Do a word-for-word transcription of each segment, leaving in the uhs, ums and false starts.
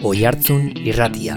Oihartzun Irratia.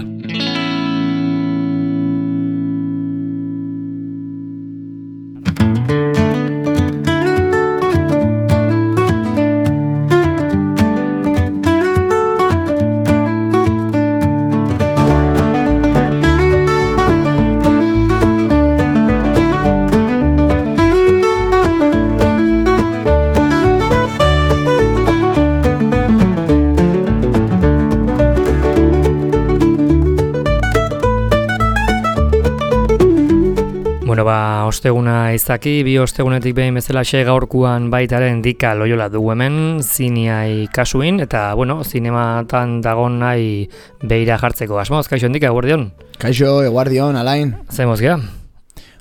Bueno, ba, osteguna izaki, bi ostegunetik behin bezalaxe gaurkuan baitaren Dika Loiola dugu hemen, ziniai kasuin, eta, bueno, zinematan dagon nahi beira jartzeko. Asmoz, kaixo, Dika, eguardion? Kaixo, eguardion, Alain. Zemoz, gea?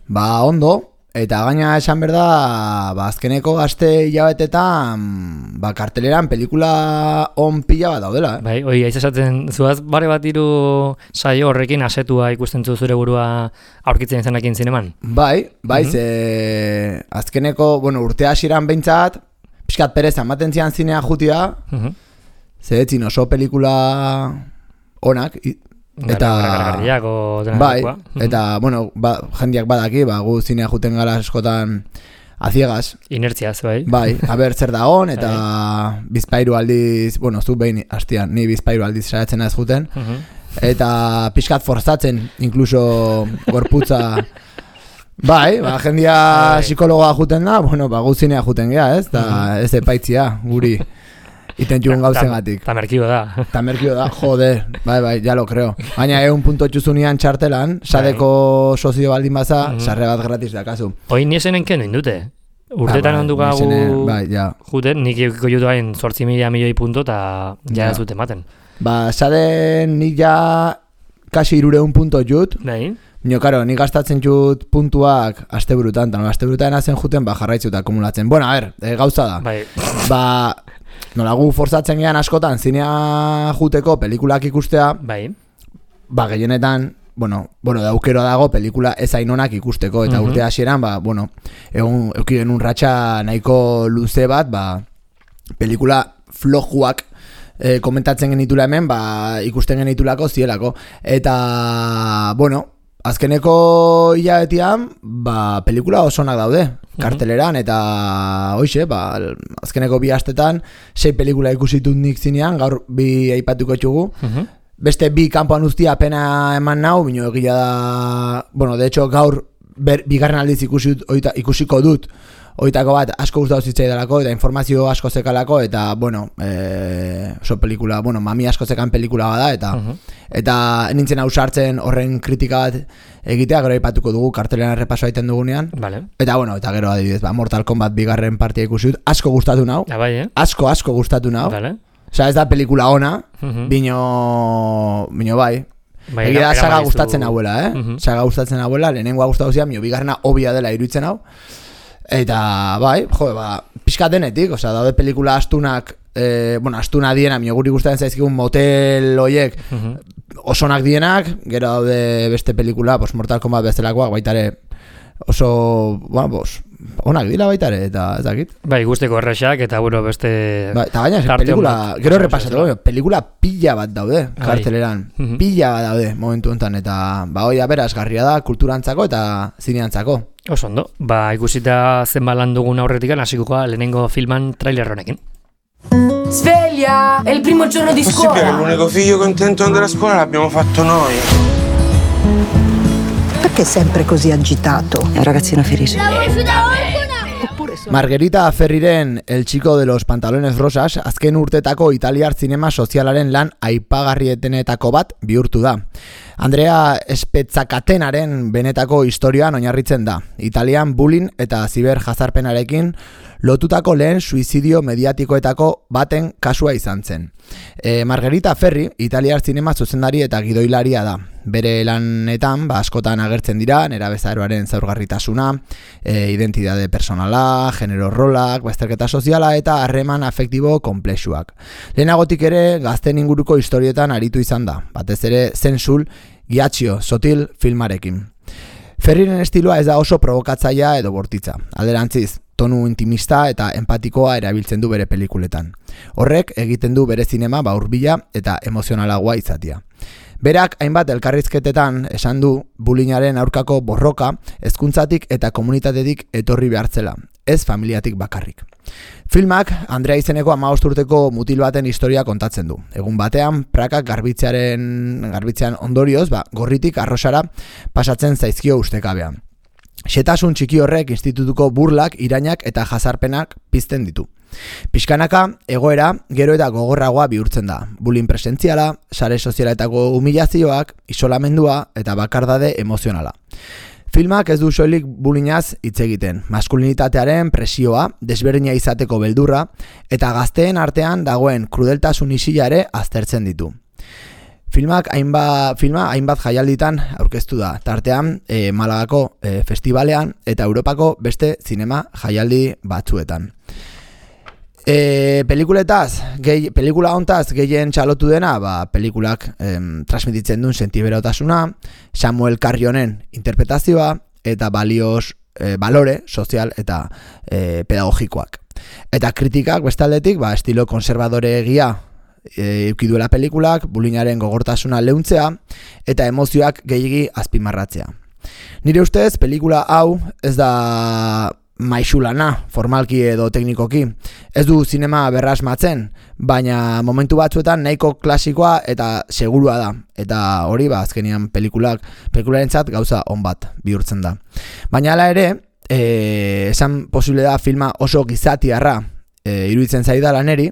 Ba, ondo, eta gaina esan berda, ba, azkeneko gazte hilabetetan, ba, karteleran pelikula on pila bat daudela, eh? Bai, oi, aiz esaten, zuaz, bare bat iru saio horrekin asetua ikusten zu zure burua aurkitzen izanekin zineman? Bai, bai, Mhm. ze azkeneko, bueno, urte hasieran behintzat, pixkat pereza ematen zian zinea jutia, Mhm. ze etzin oso pelikula onak, i- eta Gargarriako dena bai, dagoa. Mhm. eta, bueno, ba, jendiak badaki, ba, gu zinea juten gara askotan a ciegas, Inertziaz, bai. bai, aber zer dagon, eta bizpairu aldiz, bueno, zu behin hastian, ni bizpairu aldiz saiatzen ez juten, Mhm. eta pixkat forzatzen, incluso gorputza, bai, ba, jendia Bai. psikologoa juten da, bueno, ba, gu zinea juten gea, ez, eta ez epaitzia, guri, iten jugun gauzengatik. Ta merkio da. Eta merkio da, joder, bai, bai, ja lo creo. Baina egun punto txuzunian txartelan, sadeko sozio baldin baza, Mhm. sarre bat gratis dakazu. Hoi niesenen kenu indute. Urtetan Ah, bai, ondu gagu nisene, bai, ja. juten, nik ikuko jutu hain zortzi mila milioi punto eta ja Ja. ez dute ematen. Ba, saden nik ja kasi irureun punto jut, Bai? nio, karo, nik gastatzen jut puntuak asteburutan, eta no, asteburutan hazen juten, ba, jarraitzuta akumulatzen. Bueno, a ver, e, gauza da. Bai. Ba, nola gu forzatzen gean askotan, zinea juteko pelikulak ikustea, Bai. ba, gehienetan, bueno, bueno, daukero dago pelikula ez ainonak ikusteko, eta Mhm. urte hasieran, ba, bueno, egun, eukiren un ratxa nahiko luze bat, ba, pelikula flojuak e, komentatzen genitula hemen, ba, ikusten genitulako zielako. Eta, bueno, azkeneko hilabetian, ba, pelikula osonak daude, karteleran, eta hoxe, ba, azkeneko bi astetan, sei pelikula ikusitut nik zinean, gaur bi aipatuko txugu. Mhm. Beste bi kanpoan uztia pena eman nau, bino egia da, bueno, de hecho gaur ber, bigarren aldiz ikusi, oita, ikusiko dut, oitako bat asko gustatu zitzaidalako, eta informazio asko zekalako, eta, bueno, e, oso pelikula, bueno, mami asko zekan pelikula bada, eta, Mhm. eta nintzen hau sartzen horren kritika bat egitea, gero aipatuko dugu, kartelean errepaso egiten dugunean, Vale. eta, bueno, eta gero adibidez, ba, Mortal Kombat bigarren partia ikusi dut, asko gustatu nau, Ah, bai, eh? asko, asko gustatu nau, Vale. osea, ez da pelikula ona, Mhm. Bino, bino bai. Bai, Egia da era- saga eraman gustatzen dizu- hauela, eh? Mhm. Saga gustatzen hauela, lehenengoa gustatu zian, mio bigarrena obia dela iruditzen hau. Eta, bai, jo, ba, pixka denetik, osea, daude pelikula astunak, eh, bueno, astuna diena, mio guri gustatzen zaizkigun motel hoiek, Mhm. osonak dienak, gero daude beste pelikula, pues Mortal Kombat bezalakoak, baitare oso, bueno, pues, onak dira baitare, eta ez dakit. Bai, guzteko errexak eta bueno, beste... Ba, eta gaina, eske tarte pelikula, on bat. gero repasatu, pelikula pila bat daude, Bai. karteleran, Mhm. pila bat daude momentu honetan, eta ba, hoi aberazgarria da kulturantzako eta zineantzako. Oso ondo, ba, ikusita zenbat lan dugun aurretik hasiko lehenengo filman trailer honekin. Sveglia! È il primo giorno di Possibile che scuola! l'unico figlio contento di andare a scuola l'abbiamo fatto noi? Perché è sempre così agitato? È un ragazzino felice. Oppure sono... Margarita Ferriren El Chico de los Pantalones Rosas azken urtetako italiar zinema sozialaren lan aipagarrietenetako bat bihurtu da. Andrea Spezzakatenaren benetako historioan oinarritzen da. Italian bullying eta ziberjazarpenarekin lotutako lehen suizidio mediatikoetako baten kasua izan zen. E, Margarita Ferri, italiar zinema zuzendari eta gidoilaria da. Bere lanetan, ba, askotan agertzen dira, nerabezaroaren zaurgarritasuna, e, identitate personala, genero rolak, bazterketa soziala eta harreman afektibo konplexuak. Lehenagotik ere, gazten inguruko historietan aritu izan da, batez ere Zensul, Giacchio, Sotil filmarekin. Ferriren estiloa ez da oso provokatzailea edo bortitza. Alderantziz, tonu intimista eta empatikoa erabiltzen du bere pelikuletan. Horrek egiten du bere zinema ba hurbila eta emozionalagoa izatea. Berak hainbat elkarrizketetan esan du bullyingaren aurkako borroka hezkuntzatik eta komunitatetik etorri behartzela, ez familiatik bakarrik. Filmak Andrea izeneko hamabost urteko mutil baten historia kontatzen du. Egun batean, prakak garbitzearen, garbitzean ondorioz, ba, gorritik arrosara pasatzen zaizkio ustekabean. Xetasun txiki horrek institutuko burlak, irainak eta jazarpenak pizten ditu. Pixkanaka, egoera gero eta gogorragoa bihurtzen da. Bullying presentziala, sare sozialetako humilazioak, isolamendua eta bakardade emozionala. Filmak ez du soilik bullyingaz hitz egiten, maskulinitatearen presioa, desberdina izateko beldurra eta gazteen artean dagoen krudeltasun isila ere aztertzen ditu. Filmak hainbat, filma hainbat jaialditan aurkeztu da, tartean e, Malagako e, festivalean eta Europako beste zinema jaialdi batzuetan. E, pelikuletaz, gehi, pelikula hontaz gehien txalotu dena, ba, pelikulak em, transmititzen duen sentiberotasuna, Samuel Carrionen interpretazioa eta balioz, e, balore sozial eta e, pedagogikoak. Eta kritikak bestaldetik, ba, estilo konservadore egia e, eukiduela pelikulak, bullyingaren gogortasuna leuntzea eta emozioak gehiegi azpimarratzea. Nire ustez, pelikula hau ez da maixulana, formalki edo teknikoki. Ez du zinema berrasmatzen, baina momentu batzuetan nahiko klasikoa eta segurua da. Eta hori ba azkenean pelikulak, pelikularentzat gauza on bat bihurtzen da. Baina hala ere, e, esan posible da filma oso gizatiarra e, iruditzen zaidala neri,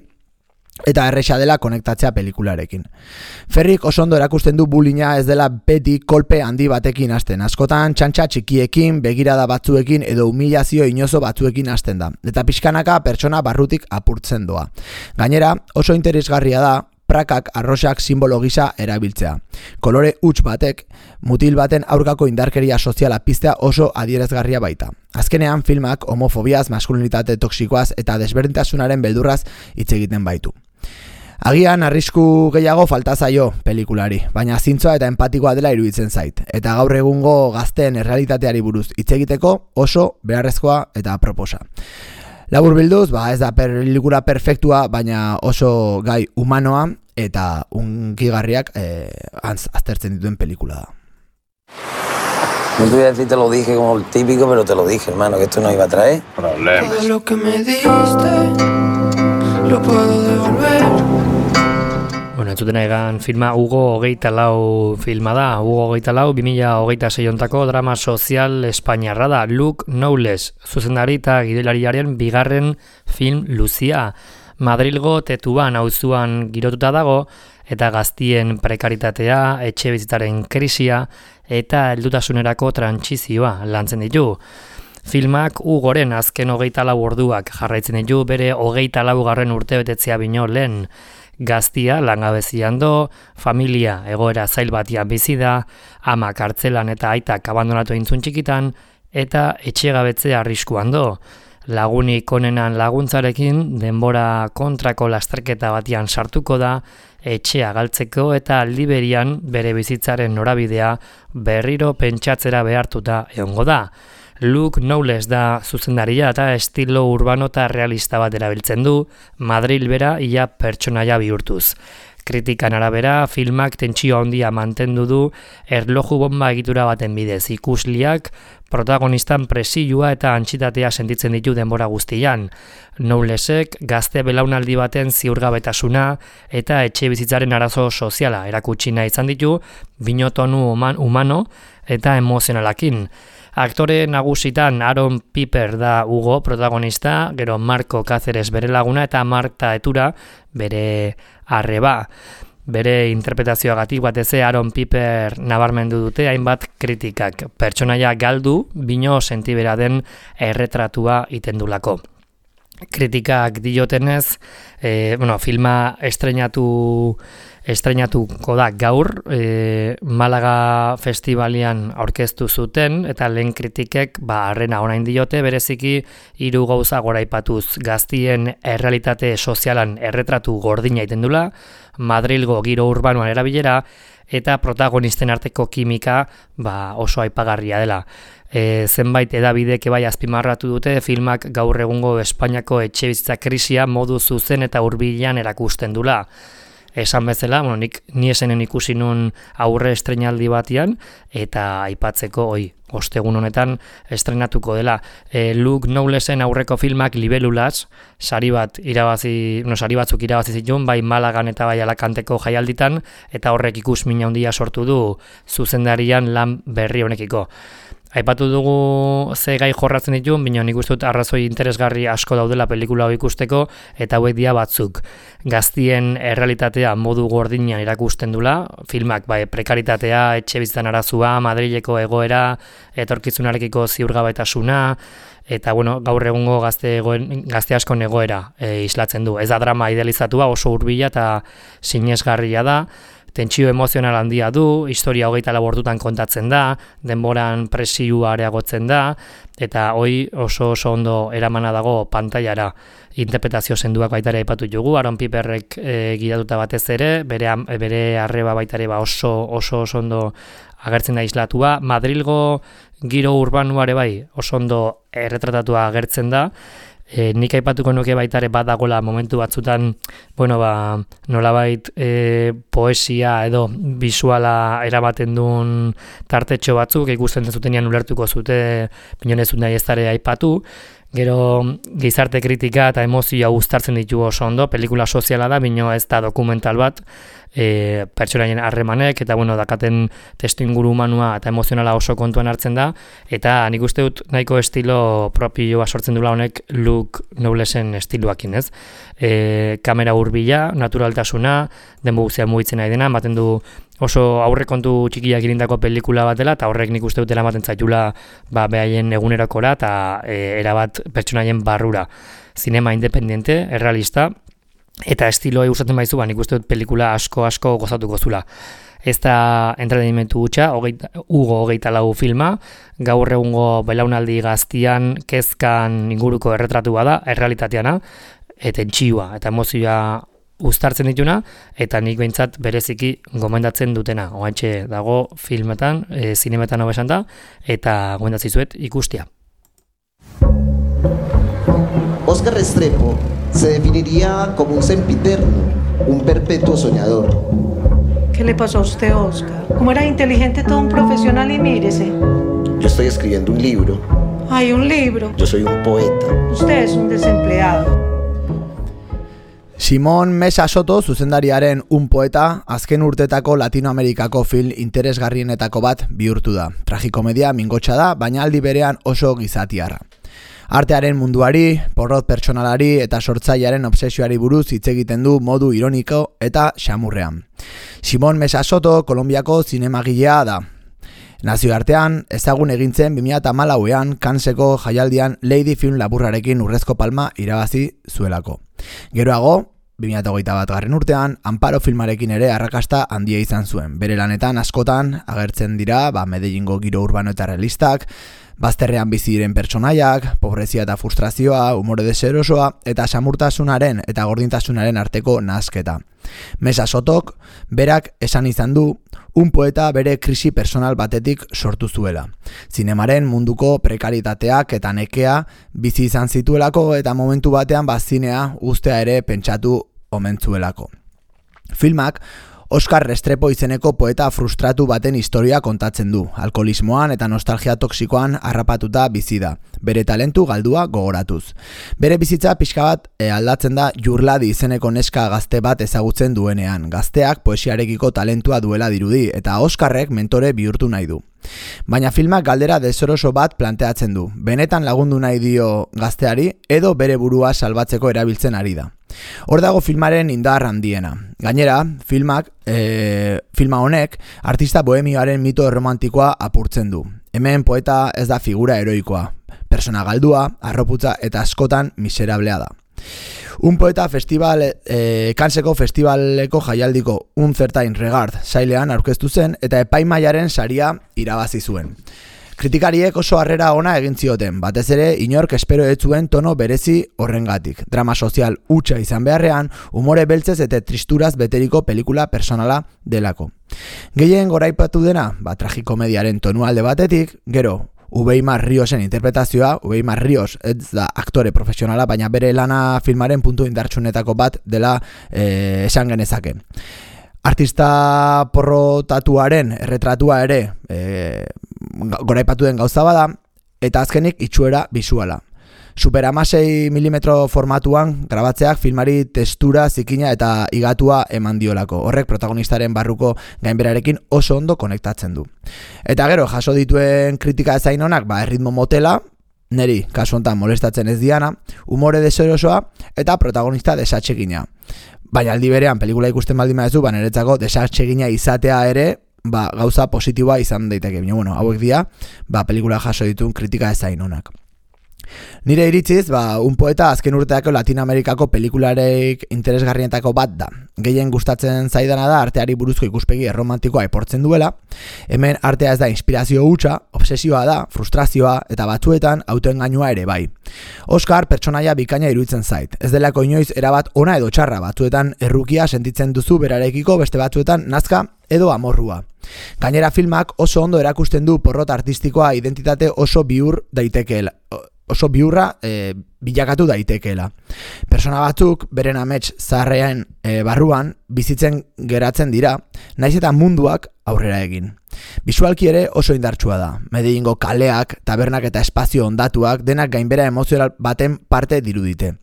eta erresa dela konektatzea pelikularekin. Ferrik oso ondo erakusten du bullyinga ez dela beti kolpe handi batekin hasten. Askotan txantxa txikiekin, begirada batzuekin edo humilazio inozo batzuekin hasten da. Eta pixkanaka pertsona barrutik apurtzen doa. Gainera, oso interesgarria da prakak arrosak simbolo gisa erabiltzea. Kolore huts batek, mutil baten aurkako indarkeria soziala piztea oso adierazgarria baita. Azkenean filmak homofobiaz, maskulinitate toksikoaz eta desberdintasunaren beldurraz hitz egiten baitu. Agian arrisku gehiago falta zaio pelikulari, baina zintzoa eta empatikoa dela iruditzen zait. Eta gaur egungo gazteen errealitateari buruz hitz egiteko oso beharrezkoa eta aproposa. Labur bilduz, ba ez da pelikula perfektua, baina oso gai humanoa eta unkigarriak eh, aztertzen dituen pelikula da. No te voy a decir te lo dije como el típico, pero te lo dije, hermano, que esto no iba a traer problemas. Todo lo que me diste lo puedo devolver. Bueno, entzuten egan filma Hugo hogeita lau filma da. Hugo hogeita lau, bi mila hogeita sei ontako drama sozial espainiarra da. Luke Knowles, zuzendari eta gidoilariaren bigarren film luzia. Madrilgo Tetuan auzuan girotuta dago, eta gaztien prekaritatea, etxe bizitzaren krisia eta heldutasunerako trantsizioa lantzen ditu. Filmak Hugoren azken hogeita lau orduak jarraitzen ditu bere hogeita laugarren urtebetetzea bino lehen. Gaztia langabezian do, familia egoera zail batian bizi da, ama kartzelan eta aitak abandonatu intzun txikitan, eta etxegabetzea arriskuan do. Lagunik onenan laguntzarekin denbora kontrako lasterketa batian sartuko da, etxea galtzeko eta aldi berian bere bizitzaren norabidea berriro pentsatzera behartuta egongo da. Luke Knowles da zuzendaria eta estilo urbano eta realista bat erabiltzen du, Madril bera ia pertsonaia bihurtuz. Kritikan arabera, filmak tentsio handia mantendu du erloju bomba egitura baten bidez. Ikusliak protagonistan presioa eta antsitatea sentitzen ditu denbora guztian. Knowlesek gazte belaunaldi baten ziurgabetasuna eta etxe bizitzaren arazo soziala erakutsi nahi izan ditu, binotonu humano eta emozionalakin. Aktore nagusitan Aaron Piper da Hugo protagonista, gero Marco Cáceres bere laguna eta Marta Etura bere arreba. Bere interpretazioagatik batez Aaron Piper nabarmendu dute hainbat kritikak. Pertsonaia galdu, bino sentibera den erretratua itendulako. Kritikak diotenez, e, bueno, filma estreinatu estreinatuko da gaur, e, Malaga festivalian aurkeztu zuten, eta lehen kritikek ba, arrena orain diote, bereziki hiru gauza goraipatuz gaztien errealitate sozialan erretratu gordina itendula, Madrilgo giro urbanoan erabilera, eta protagonisten arteko kimika ba, oso aipagarria dela. E, zenbait edabidek bai azpimarratu dute filmak gaur egungo Espainiako etxebizitza krisia modu zuzen eta hurbilean erakusten dula. Esan bezala, bueno, nik ni esenen ikusi nun aurre estreinaldi batian, eta aipatzeko hoi, ostegun honetan estrenatuko dela. E, Luke Knowlesen aurreko filmak Libélulas, sari bat irabazi, no, sari batzuk irabazi zituen, bai Malagan eta bai Alakanteko jaialditan, eta horrek ikusmina handia sortu du zuzendarian lan berri honekiko. Aipatu dugu ze gai jorratzen dituen, baina nik uste dut arrazoi interesgarri asko daudela pelikula hau ikusteko, eta hauek dira batzuk. Gaztien errealitatea modu gordinean erakusten dula, filmak bai, prekaritatea, etxebizitzan arazua, Madrileko egoera, etorkizunarekiko ziurgabetasuna, eta bueno, gaur egungo gazte, egoen, gazte askon egoera e, islatzen du. Ez da drama idealizatua, oso hurbila eta sinesgarria da, tentsio emozional handia du, historia hogeita labordutan kontatzen da, denboran presioa areagotzen da, eta hoi oso oso ondo eramana dago pantailara. Interpretazio senduak baita ere aipatu dugu, Aaron Piperrek e, gidatuta batez ere, bere, bere arreba baita ere ba oso, oso oso ondo agertzen da islatua. Madrilgo giro urbanuare bai oso ondo erretratatua agertzen da. E, nik aipatuko nuke baita ere badagola momentu batzutan, bueno, ba, nolabait e, poesia edo bisuala eramaten duen tartetxo batzuk, ikusten zutenean ulertuko zute, pinonezun nahi ez dara aipatu. Gero gizarte kritika eta emozioa uztartzen ditu oso ondo, pelikula soziala da, bino ez da dokumental bat, e, pertsonaien harremanek, eta bueno, dakaten testuinguru humanua eta emozionala oso kontuan hartzen da, eta nik uste dut nahiko estilo propioa sortzen dula honek Luke Knowlesen estiloakin, ez? E, kamera hurbila, naturaltasuna, denbo guztia mugitzen nahi dena, ematen du oso aurrekontu txikiak irindako pelikula bat dela, eta horrek nik uste dutela ematen zaitula ba, behaien egunerokora eta e, erabat pertsonaien barrura. Zinema independiente, errealista, eta estiloa gustatzen baizu, ba, nik uste dut pelikula asko-asko gozatuko zula. Ez da entretenimentu gutxa, Hugo hogeita lau filma, gaur egungo belaunaldi gaztian, kezkan inguruko erretratu bada, errealitateana, eta tentsioa, eta emozioa uztartzen dituna, eta nik behintzat bereziki gomendatzen dutena. Oantxe dago filmetan, e, zinemetan hau esan da, eta gomendatzizuet ikustia. Oscar Restrepo se definiría como un sempiterno, un perpetuo soñador. ¿Qué le pasó a usted, Oscar? Como era inteligente, todo un profesional y mírese. Yo estoy escribiendo un libro. Ay, un libro. Yo soy un poeta. Usted es un desempleado. Simon Mesa Soto zuzendariaren Un poeta azken urtetako Latinoamerikako film interesgarrienetako bat bihurtu da. Tragikomedia mingotsa da, baina aldi berean oso gizatiarra. Artearen munduari, porrot pertsonalari eta sortzailearen obsesioari buruz hitz egiten du modu ironiko eta xamurrean. Simon Mesa Soto Kolonbiako zinemagilea da. Nazioartean ezagun egintzen bi mila hamalauean Canneseko jaialdian Lady Film laburrarekin urrezko palma irabazi zuelako. Geroago, bi mila hogeita bat garren urtean, Amparo filmarekin ere arrakasta handia izan zuen. Bere lanetan askotan agertzen dira ba, Medellingo giro urbano eta realistak, bazterrean bizi diren pertsonaiak, pobrezia eta frustrazioa, umore deserosoa eta samurtasunaren eta gordintasunaren arteko nahasketa. Mesa Sotok berak esan izan du, Un poeta bere krisi personal batetik sortu zuela. Zinemaren munduko prekaritateak eta nekea bizi izan zituelako eta momentu batean bazinea ustea ere pentsatu omen zuelako. Filmak Oscar Restrepo izeneko poeta frustratu baten historia kontatzen du. Alkoholismoan eta nostalgia toksikoan harrapatuta bizi da. Bere talentu galdua gogoratuz. Bere bizitza pixka bat e, aldatzen da Jurladi izeneko neska gazte bat ezagutzen duenean. Gazteak poesiarekiko talentua duela dirudi eta Oscarrek mentore bihurtu nahi du. Baina filmak galdera desoroso bat planteatzen du. Benetan lagundu nahi dio gazteari edo bere burua salbatzeko erabiltzen ari da. Hor dago filmaren indar handiena. Gainera, filmak, e, filma honek artista bohemioaren mito romantikoa apurtzen du. Hemen poeta ez da figura heroikoa. Persona galdua, arroputza eta askotan miserablea da. Un poeta festival, e, Canneseko festivaleko jaialdiko Un Certain Regard sailean aurkeztu zen eta epaimaiaren saria irabazi zuen. Kritikariek oso harrera ona egin zioten, batez ere inork espero ez zuen tono berezi horrengatik. Drama sozial hutsa izan beharrean, umore beltzez eta tristuraz beteriko pelikula personala delako. Gehien goraipatu dena, ba, tragikomediaren tonu alde batetik, gero, Ubeimar Riosen interpretazioa, Ubeimar Rios ez da aktore profesionala, baina bere lana filmaren puntu indartsunetako bat dela eh, esan genezake. Artista porrotatuaren erretratua ere e, goraipatu den gauza bada, eta azkenik itxuera bisuala. Super hamasei milimetro formatuan grabatzeak filmari testura, zikina eta igatua eman diolako. Horrek protagonistaren barruko gainberarekin oso ondo konektatzen du. Eta gero, jaso dituen kritika ezain honak, ba, erritmo motela, neri kasu honetan molestatzen ez diana, umore deserosoa eta protagonista desatsegina. Baina aldi berean pelikula ikusten baldin baduzu, ba niretzako desatsegina izatea ere, ba gauza positiboa izan daiteke. Baina bueno, hauek dira, ba pelikula jaso dituen kritika ezain onak. Nire iritziz, ba, un poeta azken urteako Latinoamerikako pelikularek interesgarrienetako bat da. Gehien gustatzen zaidana da arteari buruzko ikuspegi erromantikoa eportzen duela. Hemen artea ez da inspirazio hutsa, obsesioa da, frustrazioa eta batzuetan autoengainua ere bai. Oscar pertsonaia bikaina iruditzen zait. Ez delako inoiz erabat ona edo txarra, batzuetan errukia sentitzen duzu berarekiko, beste batzuetan nazka edo amorrua. Gainera filmak oso ondo erakusten du porrot artistikoa identitate oso bihur daitekeela. oso biurra e, bilakatu daitekeela. Persona batzuk beren amets zaharrean e, barruan bizitzen geratzen dira, naiz eta munduak aurrera egin. Bisualki ere oso indartsua da. Medellingo kaleak, tabernak eta espazio ondatuak denak gainbera emozional baten parte dirudite.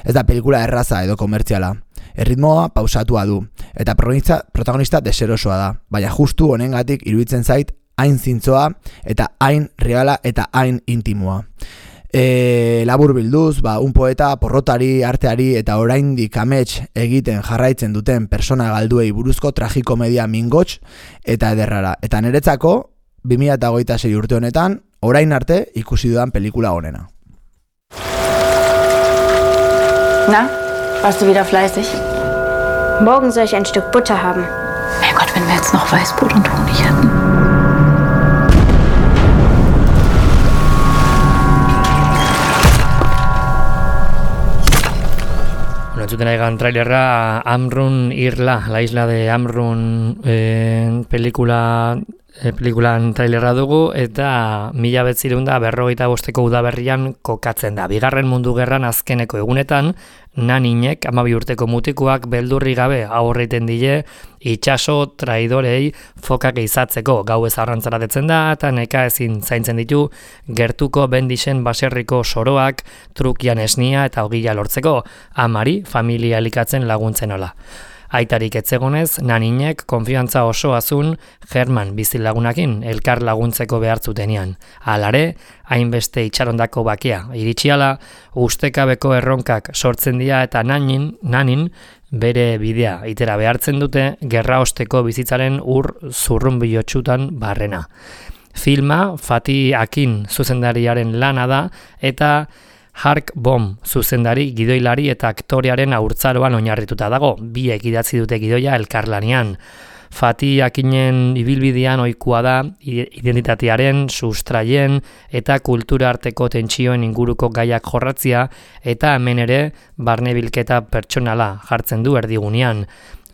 Ez da pelikula erraza edo komertziala. Erritmoa pausatua du, eta protagonista, protagonista deserosoa da, baina justu honengatik iruditzen zait hain zintzoa eta hain reala eta hain intimoa. E, labur bilduz, ba, un poeta porrotari, arteari eta oraindik amets egiten jarraitzen duten persona galduei buruzko tragikomedia mingots eta ederrara. Eta niretzako, bi mila hogeita sei urte honetan, orain arte ikusi dudan pelikula honena. Na, warst du wieder fleißig? Morgen soll ich ein Stück Butter haben. Mein Gott, wenn wir jetzt noch Weißbrot und Honig hätten. Entzuten egan trailerra Amrun Irla, la isla de Amrun eh, pelikula, eh, pelikulan trailerra dugu, eta mila betzirun da berrogeita bosteko udaberrian kokatzen da. Bigarren mundu gerran azkeneko egunetan, naninek, amabi urteko mutikuak beldurri gabe aurreiten dile itxaso traidorei fokak izatzeko. Gauez arrantzara detzen da eta neka ezin zaintzen ditu gertuko bendixen baserriko soroak trukian esnia eta ogila lortzeko, amari familia elikatzen laguntzen ola. Aitarik etzegonez, naninek konfiantza oso azun German bizilagunakin elkar laguntzeko behartzutenean. Halare, hainbeste itxarondako bakea iritsiala, ustekabeko erronkak sortzen dira eta nanin, nanin bere bidea itera behartzen dute gerra osteko bizitzaren ur zurrunbilotxutan barrena. Filma Fatih Akin zuzendariaren lana da eta Hark Bom zuzendari, gidoilari eta aktorearen haurtzaroan oinarrituta dago, biek idatzi dute gidoia elkarlanean. Fatih Akinen ibilbidean ohikoa da identitatearen, sustraien eta kultura arteko tentsioen inguruko gaiak jorratzia eta hemen ere barnebilketa pertsonala jartzen du erdigunean.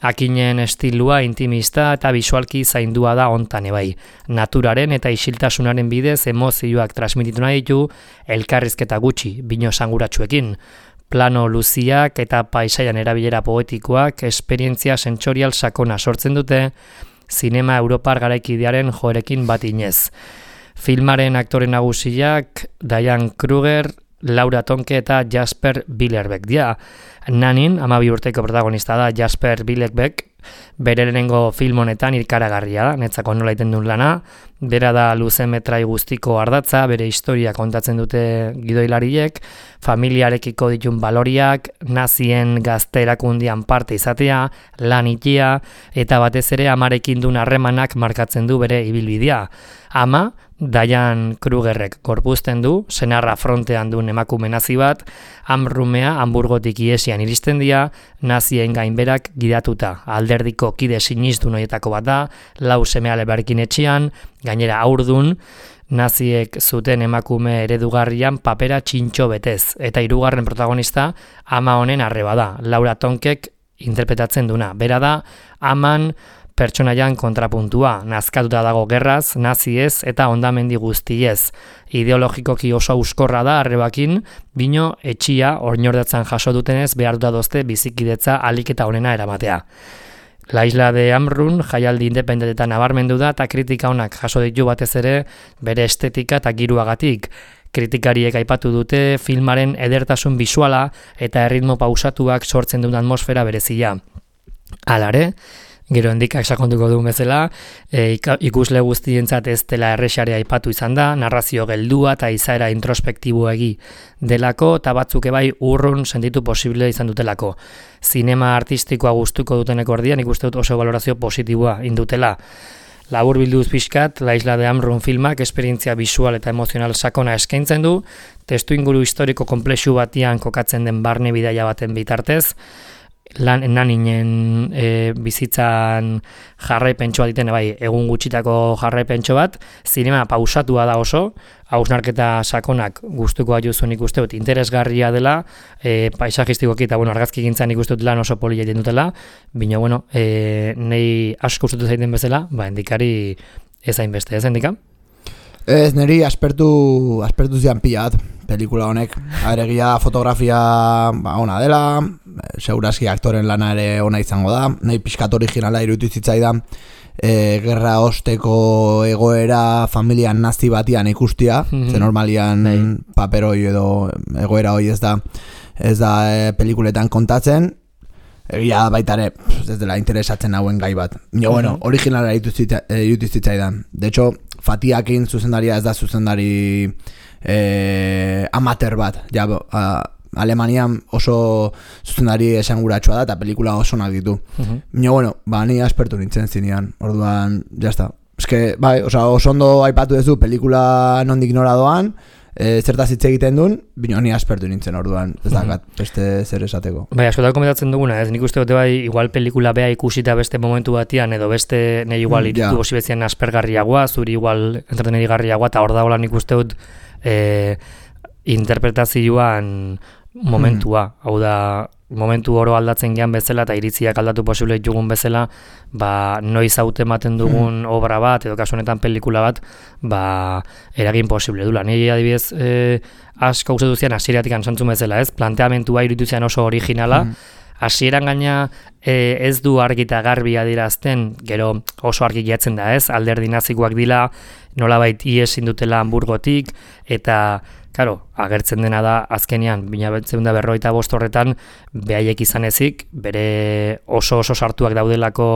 Akinen estilua intimista eta bisualki zaindua da hontan ebai. Naturaren eta isiltasunaren bidez emozioak transmititu nahi ditu elkarrizketa gutxi, bino sanguratsuekin. Plano luziak eta paisaian erabilera poetikoak esperientzia sentsorial sakona sortzen dute zinema europar garaikidearen joerekin bat inez. Filmaren aktore nagusiak Diane Kruger, Laura Tonke eta Jasper Billerbeck dira. Nanin, amabi urteko protagonista da Jasper Billerbeck, bere lehenengo film honetan irkaragarria da, netzako nola iten duen lana, bera da luze metrai guztiko ardatza, bere historia kontatzen dute gidoilariek, familiarekiko ditun baloriak, nazien gazte erakundian parte izatea, lan itia, eta batez ere amarekin duen harremanak markatzen du bere ibilbidea. Ama, Diane Krugerrek gorpuzten du, senarra frontean duen emakume nazi bat, Amrumea Hamburgotik iesian iristen dira, nazien gainberak gidatuta. Alderdiko kide sinistun horietako bat da, lau seme-ale berkin etxean, Gainera aurdun, naziek zuten emakume eredugarrian papera txintxo betez, eta hirugarren protagonista ama honen arreba da, Laura Tonkek interpretatzen duna. Bera da, aman pertsonaian kontrapuntua, nazkatuta dago gerraz, naziez eta hondamendi guztiez. Ideologikoki oso euskorra da arrebakin, bino etxia ornordatzen jaso dutenez behartuta dozte bizikidetza alik eta onena eramatea. La Isla de Amrun jaialdi independentetan nabarmendu da eta kritika onak jaso ditu batez ere bere estetika eta giruagatik. Kritikariek aipatu dute filmaren edertasun bisuala eta erritmo pausatuak sortzen duen atmosfera berezia. Halare, gero endikak sakonduko duen bezala, e, ikusle guztientzat ez dela errexarea aipatu izan da, narrazio geldua eta izaera introspektiboegi delako, eta batzuk ebai urrun sentitu posible izan dutelako. Zinema artistikoa gustuko dutenek ordian, ikuste dut oso valorazio positiboa indutela. Labur bilduz pixkat, La Isla de Amrun filmak esperientzia bisual eta emozional sakona eskaintzen du, testu inguru historiko komplexu batian kokatzen den barne bidaia baten bitartez, lan naninen e, bizitzan jarraipentso bat ditene, bai, egun gutxitako jarraipentso bat, zinema pausatua da oso, hausnarketa sakonak gustuko juzuen ikuste dut interesgarria dela, e, paisajistikoki eta bueno, argazki gintzan ikuste dut lan oso polia egiten dutela, baina bueno, e, nei asko gustatu zaiten bezala, ba, endikari ez hainbeste, ez endika? Ez, niri aspertu, aspertu zian pilat, pelikula honek. Aregia fotografia ba, ona dela, segurazki aktoren lana ere ona izango da, nahi pixkat originala irutu zitzaidan, e, gerra osteko egoera familian nazi batian ikustia, mm-hmm. ze normalian Nei. paperoi edo egoera hoi ez da, ez da e, pelikuletan kontatzen, egia baita ere, ez dela interesatzen hauen gai bat. Jo, bueno, uh-huh. originala irutu zitzaidan. De hecho, Fatiakin zuzendaria ez da zuzendari eh, amateur bat. Ja, a, Alemanian oso zuzendari esanguratsua da eta pelikula oso onak ditu. Uh-huh. Jo, bueno, ba, ni aspertu nintzen zinean. Orduan, jazta. Ez que, bai, oso, oso ondo aipatu duzu pelikula nondik nora doan, E, zertaz hitz egiten duen, bino ni aspertu nintzen orduan, ez dakat, beste zer esateko. Bai, askotan komentatzen duguna, ez nik uste dute bai, igual pelikula bea ikusita beste momentu batian, edo beste nahi igual mm, iritu yeah. osibetzian aspergarriagoa, zuri igual entretenerigarriagoa, eta hor dagoela nik uste dut e, interpretazioan momentua, mm. hau da, momentu oro aldatzen gean bezala eta iritziak aldatu posible ditugun bezala, ba, noiz haute ematen dugun hmm. obra bat, edo kasu honetan pelikula bat, ba, eragin posible dula. Nire adibidez, eh, asko gustatu zian hasieratik antzantzun bezala, ez? Planteamentua iruditu zian oso originala, hasieran gaina eh, ez du argi eta garbi adierazten, gero oso argi jatzen da, ez? Alderdi nazikoak dila, nolabait ies indutela Hamburgotik, eta Karo, agertzen dena da azkenean, bina da berroita bost horretan, behaiek izan ezik, bere oso oso sartuak daudelako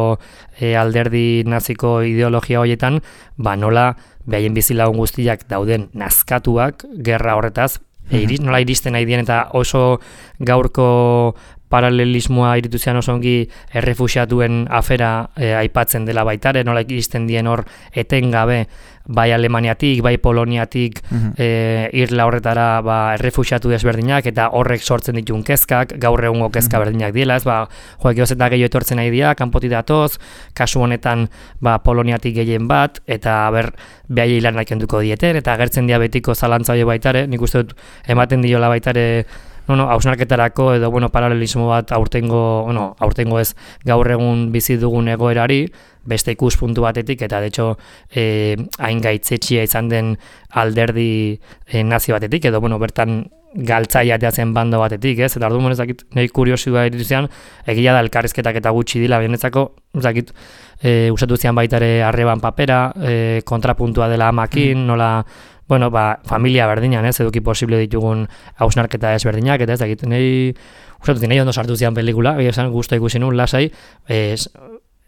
e, alderdi naziko ideologia horietan, ba nola behaien bizilagun guztiak dauden nazkatuak, gerra horretaz, e, iris, nola iristen nahi dien eta oso gaurko paralelismoa iritu zean oso ongi errefuxiatuen afera e, aipatzen dela baitare, nola iristen dien hor etengabe, bai Alemaniatik, bai Poloniatik uh-huh. e, irla horretara ba, errefuxiatu desberdinak eta horrek sortzen ditun kezkak, gaur egungo kezka uh-huh. berdinak diela, ez, ba, joak egoz eta gehiago etortzen nahi dira, kanpotik datoz, kasu honetan ba, Poloniatik gehien bat, eta ber, behai hilanak kenduko dieten, eta agertzen dira betiko zalantza hori baitare, nik uste dut ematen diola baitare, no, no, hausnarketarako edo bueno, paralelismo bat aurtengo, bueno, aurtengo ez gaur egun bizi dugun egoerari, beste ikuspuntu batetik, eta de hecho eh, hain gaitzetxia izan den alderdi eh, nazi batetik, edo bueno, bertan galtzaiatea zen bando batetik, ez? Eta ordu monezakit, nahi kuriosioa irizian, egia da elkarrizketak eta gutxi dila, benetzako, ezakit, e, usatu zian baitare arreban papera, e, kontrapuntua dela amakin, mm. nola, bueno, ba, familia berdinan, ez, eduki posible ditugun hausnarketa ezberdinak, eta ez dakit, nahi, usatu nahi ondo sartu zian pelikula, esan guztu ikusi nun, lasai, ez,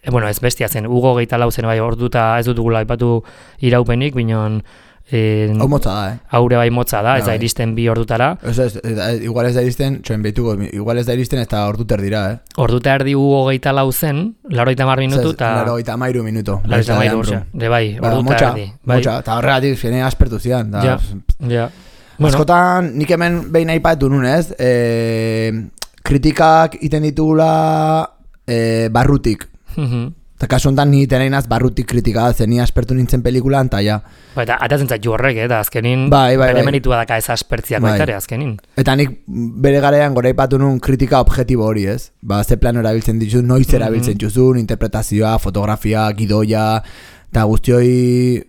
e, bueno, ez bestia zen, Hugo geita lau zen, bai, orduta ez dutugula aipatu iraupenik, binon, Eh, hau motza da, eh? Haure bai motza da, ez da iristen bi ordutara. Ez, ez, ez, igual ez da iristen, txoen behituko, igual ez da iristen eta orduter dira, eh? Orduta erdi Hugo geita lau zen, laroita mar minutu, eta... Laroita mairu minutu. Laroita mairu, osea, de bai, orduta erdi. Motxa, eta horregatik, zene aspertu zian. Da, ja, ja. Bueno. Askotan, nik hemen behin aipatu nunez, eh, kritikak iten ditugula eh, barrutik. Uh-huh. Eta kasu honetan ni teneinaz barrutik kritika zen, ni aspertu nintzen pelikulan, eta ja. Ba, eta atatzen zaitu horrek, eta azkenin bai, bai, bere bai. meritua daka ez aspertziak Bai. baitare, azkenin. Eta nik bere garaian goraipatu nun kritika objektibo hori, ez? Ba, ze plano erabiltzen ditu, noiz erabiltzen duzun, interpretazioa, fotografia, gidoia, eta guztioi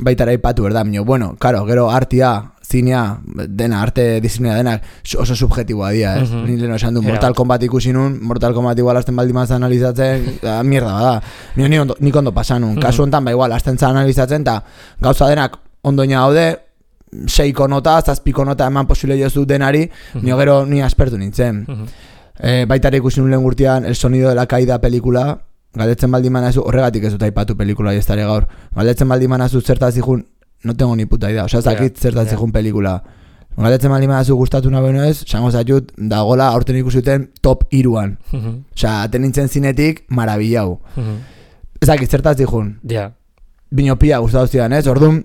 baitara aipatu, berda, minio, bueno, karo, gero artia, zinea, dena, arte disiplina denak oso subjetiboa dira, ez? Mhm. Ni leheno esan du, Era. Mortal Kombat ikusi nun, Mortal Kombat igual azten baldin maz analizatzen, da, mierda bada. Mio, ni ondo, nik ondo pasan nun. Kasu honetan, ba igual, azten za analizatzen, eta gauza denak ondoina daude, seiko nota, zazpiko nota eman posible jozu denari, nio gero ni aspertu nintzen. E, baitare ikusi nun lehen gurtian El sonido de la caída pelikula, galdetzen baldin manazu, horregatik ez dut aipatu pelikula estare gaur, galdetzen baldin manazu zertaz ikun, no tengo ni puta idea, osea, zakit yeah, zertaz ikun yeah. pelikula. Galdetzen baldin manazu gustatu nabeno ez, sango zaiut, dagola aurten ikusuten top iruan. Osea, aten nintzen zinetik, marabillau. Ezakit zertaz ikun. Ja. Yeah. Binopia gustatu zidan, ez? Orduan,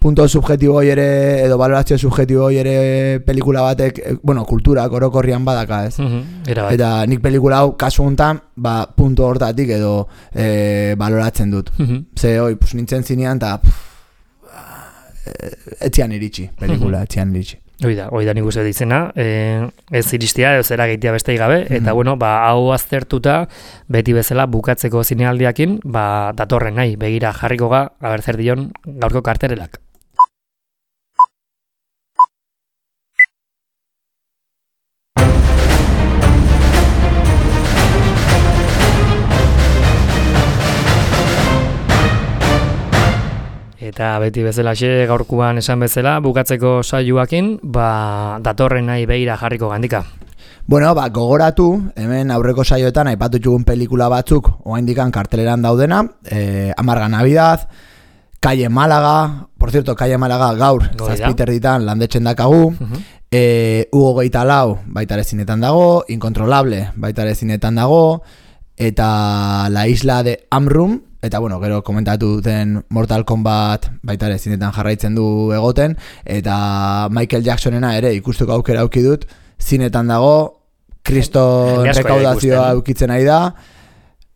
punto subjetibo hoi ere, edo valorazio subjetibo hoi ere pelikula batek, bueno, kulturak orokorrian badaka, ez? Mm-hmm. Eta nik pelikula hau, kasu honetan, ba, punto hortatik edo e, baloratzen dut. Mm-hmm. Ze, hoi, pues, nintzen zinean, eta etzian iritsi, pelikula, etzian iritsi. Oida, oida nik uste ditzena, e, ez iristia, ez era gehiagia beste gabe, eta mm-hmm. bueno, ba, hau aztertuta, beti bezala bukatzeko zinealdiakin, ba, datorren nahi, begira jarriko ga, aber zer dion gaurko karterelak. Eta beti bezalaxe gaurkuan esan bezala, bukatzeko saioakin, ba, datorren nahi begira jarriko gandika. Bueno, ba, gogoratu, hemen aurreko saioetan aipatu txugun pelikula batzuk oraindikan karteleran daudena, eh, Amarga Navidad, Calle Málaga, por cierto, Calle Málaga gaur, zazpiter ditan landetzen dakagu, uh-huh. eh, Hugo Geita Lau baitare zinetan dago, Incontrolable baitare zinetan dago, eta La Isla de Amrum, eta bueno, gero komentatu duten Mortal Kombat baitare zinetan jarraitzen du egoten, eta Michael Jacksonena ere ikusteko aukera auki dut, zinetan dago, kriston rekaudazioa aukitzen nahi da,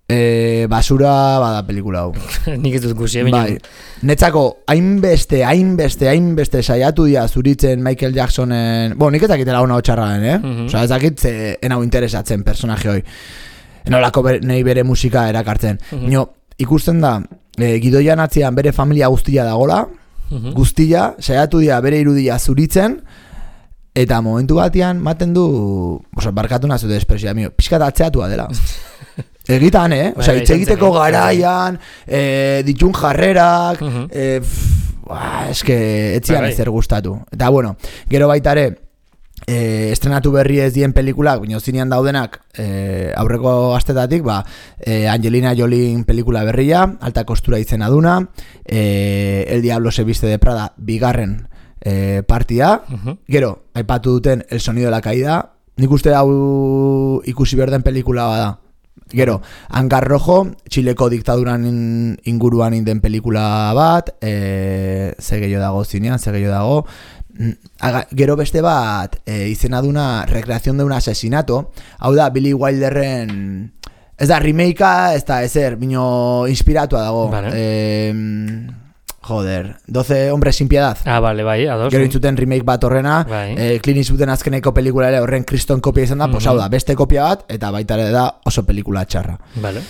e, basura bada pelikula hau. Nik ez dut guzi, bai. Netzako, hainbeste, hainbeste, hainbeste saiatu dira zuritzen Michael Jacksonen, bo, nik ezakitela hona hotxarraen, eh? Mm-hmm. Osa, ezakit, enau interesatzen personaje hoi. Enolako ber, nahi bere musika erakartzen. Mm-hmm. Nio, ikusten da, e, gidoian atzian bere familia guztia dagola, mm-hmm. guztia, saiatu dira bere irudia zuritzen, eta momentu batean maten du, oso, barkatu nazu de espresioa, mio, pixkat atzeatua dela. Egitan, eh? Osa, itxegiteko garaian, eh, ditun jarrerak, uh-huh. eh, pff, eske, etzian ezer gustatu. Eta, bueno, gero baitare, eh, estrenatu berri ez dien pelikulak, bino zinean daudenak, eh, aurreko gaztetatik, ba, eh, Angelina Jolie pelikula berria, Alta Kostura izena duna, eh, El Diablo se viste de Prada, bigarren, E, partia, uh-huh. Gero, aipatu duten El sonido de la caída, nik uste hau ikusi berden pelikula bada. Gero, Hangar Rojo, Txileko diktaduran in, inguruan inden pelikula bat, e, ze gehiago dago zinean, ze gehiago dago. Aga, gero beste bat, e, izena duna Recreación de un asesinato, hau da Billy Wilderren, ez da remakea, ez da ezer, bino inspiratua dago. Vale. E, Joder, doce hombres sin piedad. Ah, vale, bai, ados. Gero intzuten remake bat horrena, bai. eh, Clint Eastwooden azkeneko pelikula ere horren kriston kopia izan da, mm-hmm. Pues hau da, beste kopia bat, eta baita ere da oso pelikula txarra. Vale.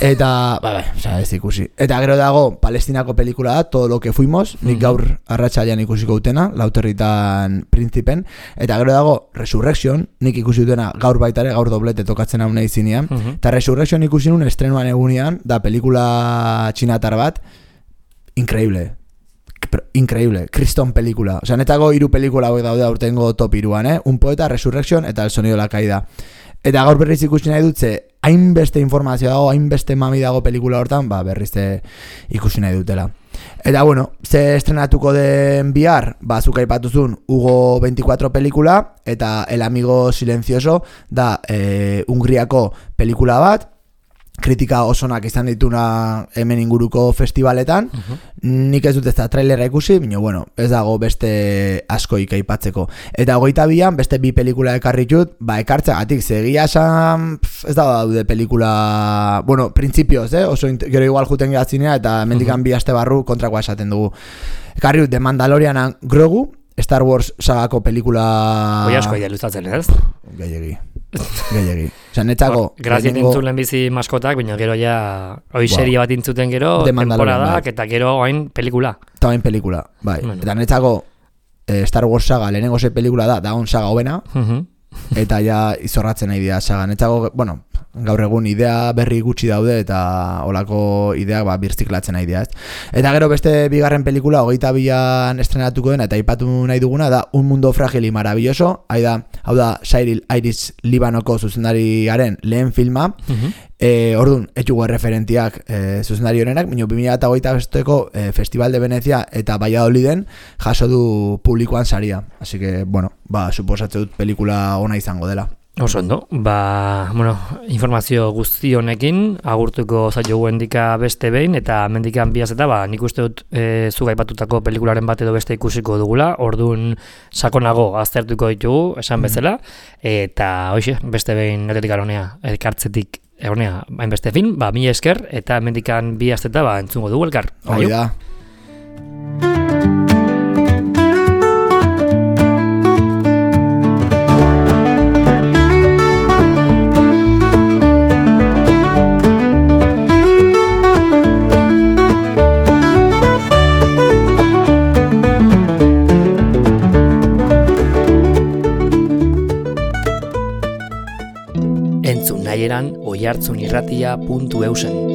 Eta, ba, ba, oza, ez ikusi. Eta gero dago, Palestinako pelikula da, Todo lo que fuimos, nik mm-hmm. gaur arratsalean ikusiko utena, Lauterritan Principen, eta gero dago, Resurrection, nik ikusi utena gaur baita ere, gaur doblete tokatzen hau nahi zinean, mm-hmm. eta Resurrection ikusi nun estrenuan egunean, da pelikula txinatar bat, increíble, pero increíble, kriston pelikula. O sea, netako hiru pelikula hauek daude aurtengo top hiruan, eh? Un poeta, Resurrection eta El sonido de la caída. Eta gaur berriz ikusi nahi dut, ze hainbeste informazio dago, hainbeste mami dago pelikula hortan, ba berriz ikusi nahi dutela. Eta bueno, ze estrenatuko den bihar, ba zuk aipatuzun Hugo veinticuatro pelikula, eta El amigo silencioso da eh, Hungriako pelikula bat, kritika osonak izan dituna hemen inguruko festivaletan. Uh-huh. Nik ez dut ez da trailerra ikusi, baina bueno, ez dago beste askoik aipatzeko. Eta hogeita bian beste bi pelikula ekarri dut, ba ekartzeagatik segia esan ez da daude pelikula, bueno, printzipioz, eh? Oso gero igual juten gehatzinea eta mendikan uh-huh. bi aste barru kontrakoa esaten dugu. Ekarri dut The Mandalorianan Grogu, Star Wars sagako pelikula... Hoi asko ia luzatzen, ez? Gehiegi. Gehiegi. Osa, netzako... Grazien lehenengo... intzulen bizi maskotak, baina gero ja... Hoi wow. serie bat intzuten gero, temporadak, bai. Eta gero hain pelikula. Eta hain pelikula, bai. Bueno. Eta netzako eh, Star Wars saga lehenengo ze pelikula da, da on saga hobena, uh-huh. eta ja izorratzen nahi dira saga. Netzako, bueno... gaur egun idea berri gutxi daude eta olako ideak ba, birziklatzen nahi dira, ez? Eta gero beste bigarren pelikula hogeita bian estrenatuko dena eta aipatu nahi duguna da Un mundo frágil y maravilloso, hau da, hau da Cyril Iris Libanoko zuzendariaren lehen filma, uh-huh. e, orduan, etxugu referentiak e, zuzendari honenak, minio bi mila hogeita besteko e, Festival de Venecia eta Valladoliden jaso du publikoan saria, así que, bueno, ba, suposatzen dut pelikula ona izango dela. Oso ondo, ba, bueno, informazio guzti honekin agurtuko zaiogu endika beste behin eta mendikan biaz eta ba, nik uste dut e, zuk aipatutako pelikularen bat edo beste ikusiko dugula, orduan sakonago aztertuko ditugu, esan bezala, eta hoxe, beste behin netetik aronea, elkartzetik egonea, hainbeste fin, ba, mila esker, eta mendikan biaz eta ba, entzungo dugu elkar. Hoi da. Naieran oihartzunirratia puntu eusen.